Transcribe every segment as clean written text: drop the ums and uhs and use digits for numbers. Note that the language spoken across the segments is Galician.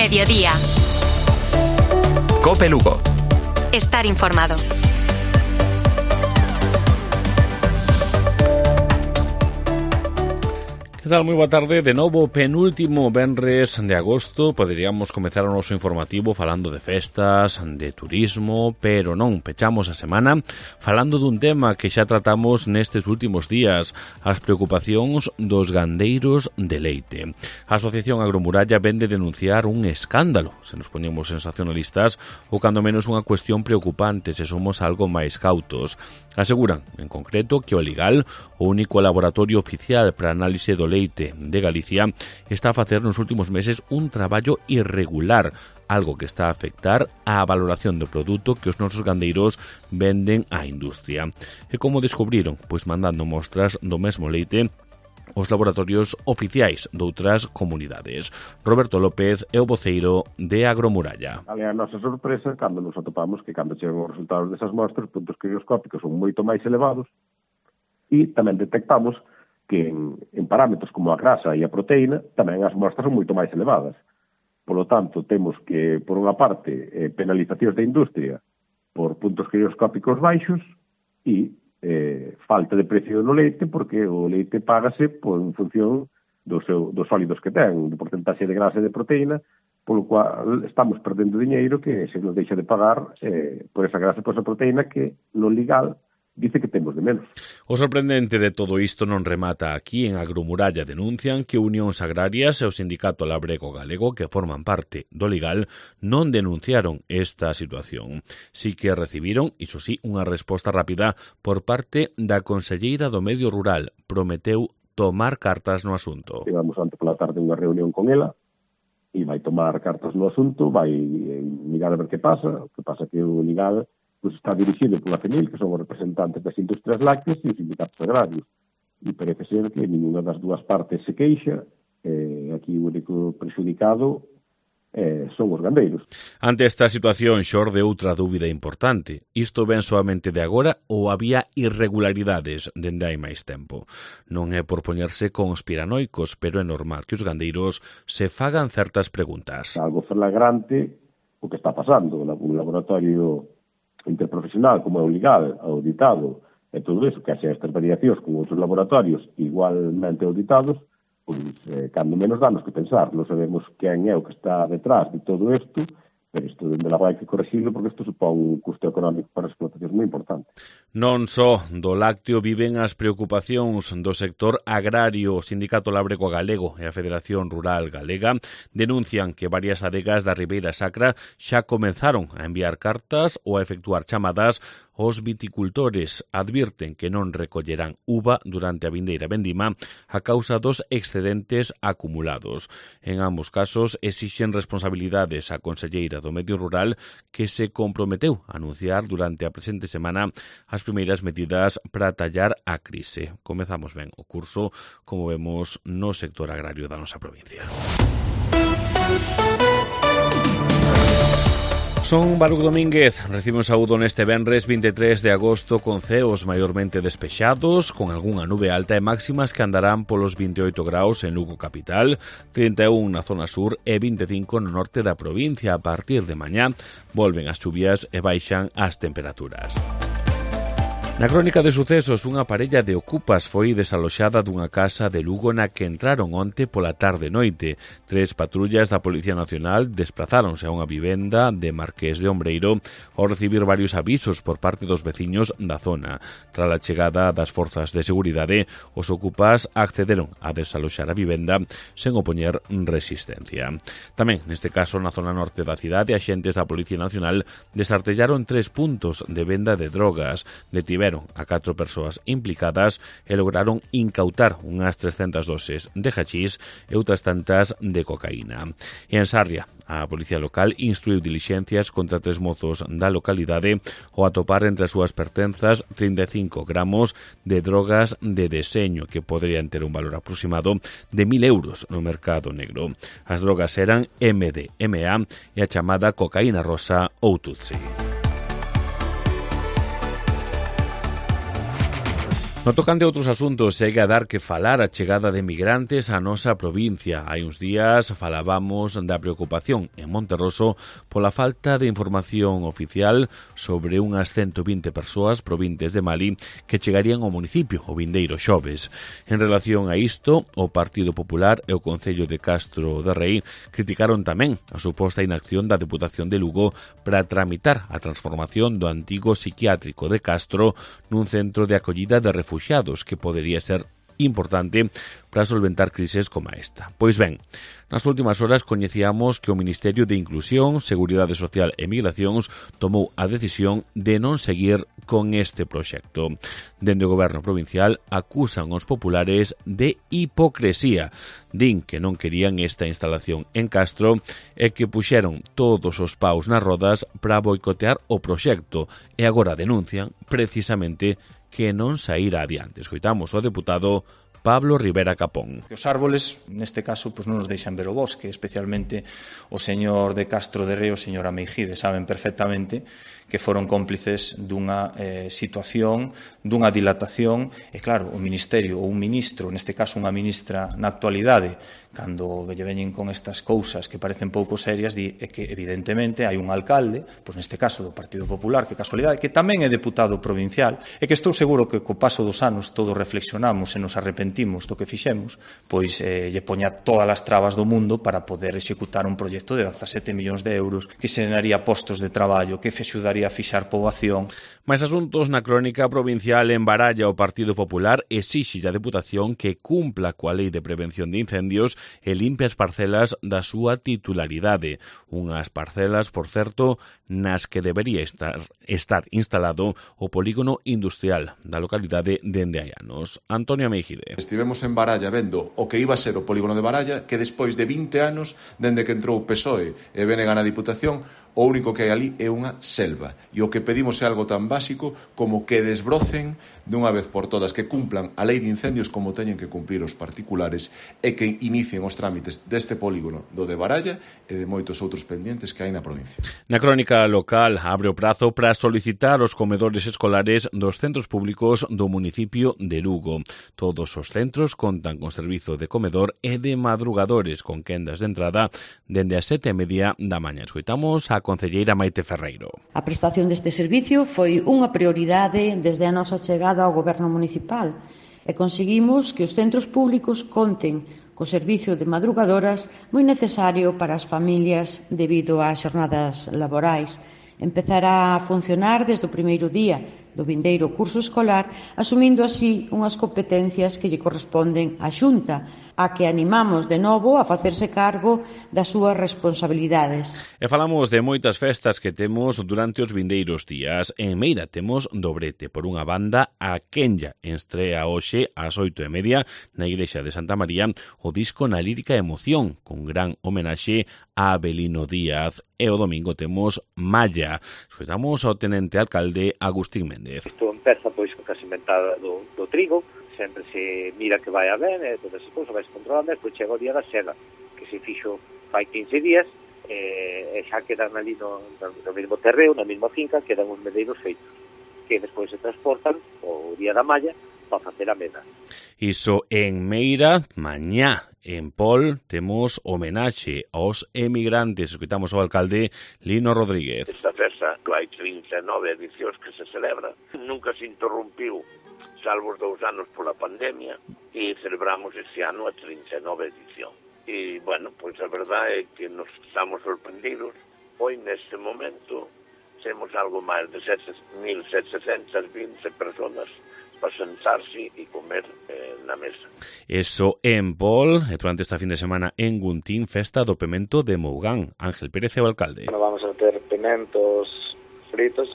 Mediodía. COPE Lugo. Estar informado. Que tal? Moi boa tarde. De novo, penúltimo venres de agosto. Poderíamos comezar o noso informativo falando de festas, de turismo, pero non, pechamos a semana falando dun tema que xa tratamos nestes últimos días, as preocupacións dos gandeiros de leite. A Asociación Agromuralla vén de denunciar un escándalo, se nos poñemos sensacionalistas, ou cando menos unha cuestión preocupante se somos algo máis cautos. Aseguran, en concreto, que o Ligal, o único laboratorio oficial para análise do leite de Galicia, está a facer nos últimos meses un traballo irregular, algo que está a afectar á valoración do produto que os nosos gandeiros venden á industria. E como descubriron? Pois mandando mostras do mesmo leite os laboratorios oficiais doutras comunidades. Roberto López é o voceiro de Agromuralla. A nosa sorpresa, cando nos atopamos que cando chegan os resultados desas mostras, os puntos crioscópicos son moito máis elevados e tamén detectamos que en parámetros como a grasa e a proteína, tamén as mostras son moito máis elevadas. Por lo tanto, temos que, por unha parte, penalizacións da industria por puntos crioscópicos baixos e falta de precio no leite, porque o leite págase en función dos sólidos que ten, do porcentaxe de grasa e de proteína, polo cual estamos perdendo diñeiro que se nos deixa de pagar por esa grasa e por esa proteína que no legal dice que temos de menos. O sorprendente de todo isto non remata aquí. En Agromuralla denuncian que Unións Agrarias e o Sindicato Labrego Galego, que forman parte do Ligal, non denunciaron esta situación. Si que recibiron, iso sí, unha resposta rápida por parte da conselleira do Medio Rural. Prometeu tomar cartas no asunto. Tivemos antes pola tarde unha reunión con ela e vai tomar cartas no asunto, vai mirar a ver que pasa. O que pasa que o Ligal pues está dirixido pola FENIL, que son os representantes das industrias lácteas e os sindicatos agrarios. E parece ser que ninguna das dúas partes se queixa. Aquí o único prexudicado son os gandeiros. Ante esta situación xorde outra dúbida importante. Isto ven soamente de agora ou había irregularidades dende hai máis tempo? Non é por poñerse conspiranoicos, pero é normal que os gandeiros se fagan certas preguntas. Algo flagrante o que está pasando. Un laboratorio interprofesional como é o Ligal, auditado, e todo iso, que haxe estas variacións con outros laboratorios igualmente auditados, pois, cando menos danos que pensar. Non sabemos quen é o que está detrás de todo isto, pero isto dende logo hai que corregirlo porque isto supón un custo económico para as explotacións moi importante. Non só do lácteo viven as preocupacións do sector agrario. O Sindicato Labrego Galego e a Federación Rural Galega denuncian que varias adegas da Ribeira Sacra xa comenzaron a enviar cartas ou a efectuar chamadas. Os viticultores advirten que non recollerán uva durante a vindeira vendima a causa dos excedentes acumulados. En ambos casos exixen responsabilidades á conselleira do Medio Rural, que se comprometeu a anunciar durante a presente semana as primeiras medidas para tallar a crise. Comezamos ben o curso, como vemos no sector agrario da nosa provincia. Son Baruc Domínguez, recibe un saúdo neste venres 23 de agosto con ceos maiormente despexados, con algunha nube alta e máximas que andarán polos 28 graus en Lugo capital, 31 na zona sur e 25 no norte da provincia. A partir de mañá volven as chuvias e baixan as temperaturas. Na crónica de sucesos, unha parella de ocupas foi desaloxada dunha casa de Lugo na que entraron onte pola tarde-noite. 3 patrullas da Policía Nacional desplazáronse a unha vivenda de Marqués de Ombreiro ao recibir varios avisos por parte dos veciños da zona. Tras a chegada das forzas de seguridade, os ocupas accederon a desaloxar a vivenda sen opoñer resistencia. Tamén, neste caso, na zona norte da cidade, axentes da Policía Nacional desartellaron 3 puntos de venda de drogas. Detiveron a 4 persoas implicadas e lograron incautar unhas 300 doses de hachís e outras tantas de cocaína. E en Sarria, a Policía Local instruiu dilixencias contra 3 mozos da localidade ao atopar entre as súas pertenzas 35 gramos de drogas de deseño que poderían ter un valor aproximado de 1.000 euros no mercado negro. As drogas eran MDMA e a chamada cocaína rosa ou Tutsi. No tocante a outros asuntos, segue a dar que falar a chegada de migrantes á nosa provincia. Hai uns días falábamos da preocupación en Monterroso pola falta de información oficial sobre unhas 120 persoas provintes de Mali que chegarían ao municipio o vindeiro xoves. En relación a isto, o Partido Popular e o Concello de Castro de Rei criticaron tamén a suposta inacción da Deputación de Lugo para tramitar a transformación do antigo psiquiátrico de Castro nun centro de acollida de refuxiados que podería ser importante para solventar crises como esta. Pois ben, nas últimas horas coñecíamos que o Ministerio de Inclusión, Seguridade Social e Migracións tomou a decisión de non seguir con este proxecto. Dende o Goberno provincial acusan os populares de hipocresía. Din que non querían esta instalación en Castro e que puxeron todos os paus nas rodas para boicotear o proxecto e agora denuncian precisamente que non saíra adiante. Escoitamos o deputado Pablo Rivera Capón. Os árboles, neste caso, non nos deixan ver o bosque, especialmente o señor de Castro de Rei e o señor Ameijide, saben perfectamente que foron cómplices dunha situación, dunha dilatación, e claro, o Ministerio ou un ministro, neste caso unha ministra na actualidade, cando lle veñen con estas cousas que parecen pouco serias, di que evidentemente hai un alcalde, pois neste caso do Partido Popular, que casualidade, que tamén é deputado provincial, e que estou seguro que co paso dos anos todos reflexionamos e nos arrepentimos do que fixemos, pois lle poña todas as trabas do mundo para poder executar un proxecto de 17 millóns de euros que xeraría postos de traballo, que axudaría a fixar poboación. Mais asuntos na crónica provincial en Baralla, o Partido Popular exixe a Deputación que cumpla coa Lei de Prevención de Incendios e limpe as parcelas da súa titularidade. Unhas parcelas, por certo, nas que debería estar instalado o polígono industrial da localidade dende hai anos. Antonio Ameijide. Estivemos en Baralla vendo o que iba a ser o polígono de Baralla, que despois de 20 anos, dende que entrou o PSOE e BNG na Diputación, o único que hai ali é unha selva. E o que pedimos é algo tan básico como que desbrocen dunha vez por todas, que cumplan a lei de incendios como teñen que cumplir os particulares e que inicien os trámites deste polígono do de Baralla e de moitos outros pendientes que hai na provincia. Na crónica local abre o prazo para solicitar os comedores escolares dos centros públicos do municipio de Lugo. Todos os centros contan con servizo de comedor e de madrugadores con quendas de entrada dende as 7:30 da mañá. Escoitamos a concelleira Maite Ferreiro. A prestación deste servicio foi unha prioridade desde a nosa chegada ao Goberno municipal e conseguimos que os centros públicos conten co servicio de madrugadoras moi necesario para as familias debido ás xornadas laborais. Empezará a funcionar desde o primeiro día do vindeiro curso escolar, asumindo así unhas competencias que lle corresponden á Xunta, a que animamos de novo a facerse cargo das súas responsabilidades. E falamos de moitas festas que temos durante os vindeiros días. En Meira temos Dobrete. Por unha banda, a Kenya estrea hoxe ás 8:30 na Igrexa de Santa María o disco Na lírica emoción, con gran homenaxe a Abelino Díaz. E o domingo temos Malla. Escoitamos ao tenente alcalde Agustín Méndez. Isto empeza pois co casementada do trigo, sempre se mira que vai a ben, e todas as cousas vai se controlando, e depois chega o día da seda, que se fixo fai 15 días, e xa quedan ali no mesmo terreo, na mesma finca, quedan os medeiros feitos, que despois se transportan o día da malla para facer a meda. Iso en Meira. Mañá en Pol temos homenaxe aos emigrantes. Escoitamos ao alcalde Lino Rodríguez. Esta festa hai 39 edicións que se celebra. Nunca se interrompiu, salvo os 2 anos pola pandemia, e celebramos este ano a 39 edición. E, bueno, pois a verdade é que nos estamos sorprendidos. Hoy, neste momento, temos algo máis de 1.720 personas para sentarse e comer na mesa. Eso en Pol, e durante esta fin de semana en Guntín, festa do pemento de Mougán. Ángel Pérez é o alcalde. Bueno, vamos a ter pementos fritidos,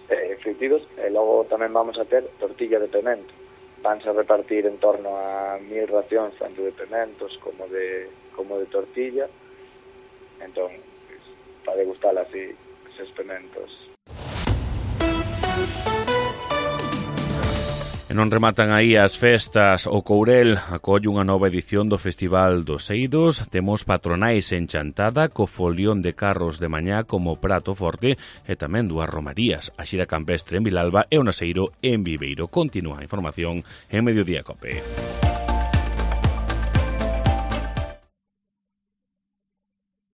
e logo tamén vamos a ter tortilla de pemento. Vanse a repartir en torno a 1.000 racións, tanto de pementos como de tortilla. Entón, para degustar así esos pementos. E non rematan aí as festas. O Courel acolle unha nova edición do Festival dos Eidos. Temos patronais en Chantada, co folión de carros de mañá como prato forte e tamén dúas romarías. A xira campestre en Vilalba e o naseiro en Viveiro. Continúa a información en Mediodía Cope.